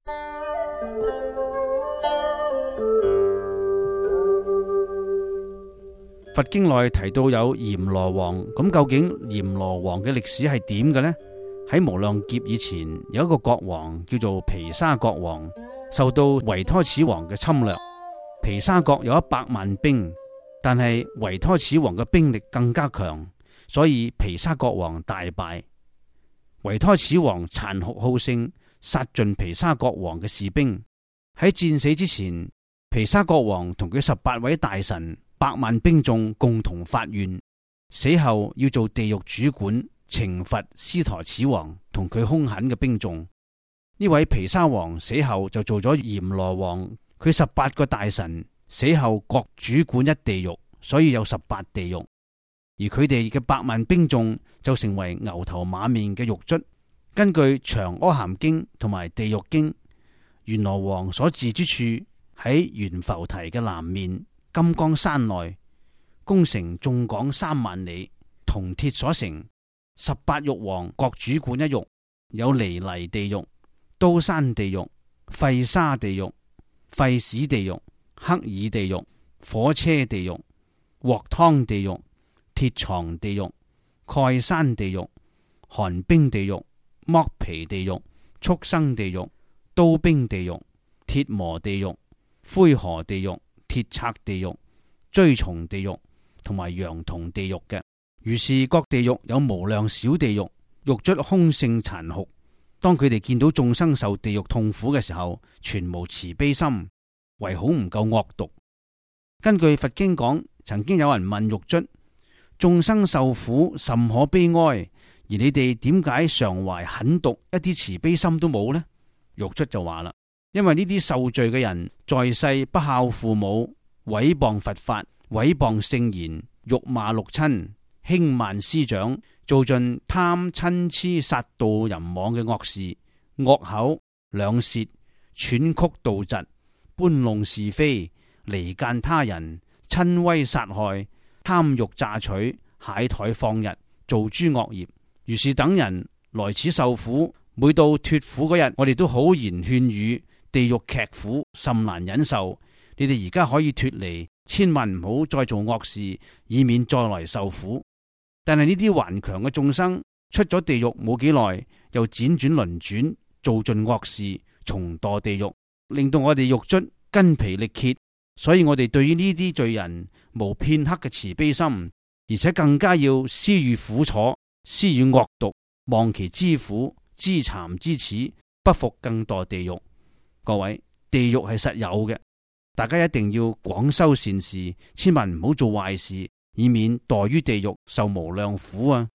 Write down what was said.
佛經內提到有閻羅王，咁究竟閻羅王嘅歷史係點嘅呢？喺無量劫以前，有一個國王叫做毗沙國王，受到維胎始王嘅侵略。毗沙國有100萬兵，但係維胎始王嘅兵力更加強，所以毗沙國王大敗。維胎始王殘酷好勝，殺盡毗沙國王嘅士兵。喺戰死之前，毗沙國王同佢18位大臣、100萬兵眾共同發願，死後要做地獄主管，懲罰斯陀始王同佢兇狠嘅兵眾。呢位毗沙王死後就做咗閻羅王，佢18個大臣死後各主管一地獄，所以有18地獄。而佢哋嘅100萬兵眾就成為牛頭馬面嘅獄卒。根據《長阿含經》同埋《地獄經》，閻羅王所治之處喺懸浮提嘅南面金剛山內，宮城縱廣3萬里，銅鐵所成。18獄王各主管一獄，有離泥地獄、刀山地獄、沸沙地獄、沸屎地獄、黑耳地獄、火車地獄、鑊湯地獄、鐵床地獄、蓋山地獄、寒冰地獄、剝皮地獄、畜生地獄、刀兵地獄、鐵磨地獄、灰河地獄、鐵賊地獄、蛆蟲地獄同埋羊銅地獄嘅。如是各地獄有無量小地獄，獄卒兇性殘酷。當佢哋見到眾生受地獄痛苦嘅時候，全無慈悲心，唯恐唔夠惡毒。根據佛經講，曾經有人問獄卒：眾生受苦甚可悲哀，而你哋點解常懷狠毒，一啲慈悲心都冇呢？獄卒就話啦：因為呢啲受罪嘅人在世不孝父母，毀謗佛法，毀謗聖言，辱罵六親，輕慢師長，做盡貪嗔癡殺盜淫妄嘅惡事，惡口兩舌，喘曲盜嫉，搬弄是非，離間他人，親威殺害，貪欲詐取，懈怠放逸，做諸惡業。如是等人來此受苦，每到脫苦嗰日，我哋都好言勸語，地獄劇苦甚難忍受。你哋而家可以脫離，千萬唔好再做惡事，以免再來受苦。但係呢啲頑強嘅眾生出咗地獄冇幾耐，又輾轉輪轉，做盡惡事，重墮地獄，令到我哋獄卒筋疲力竭。所以我哋對於呢啲罪人無片刻嘅慈悲心，而且更加要施予苦楚，施予惡毒，望其之苦，知慚之恥，不復更墮地獄。各位，地獄係實有嘅，大家一定要廣修善事，千萬唔好做壞事，以免墮於地獄受無量苦啊！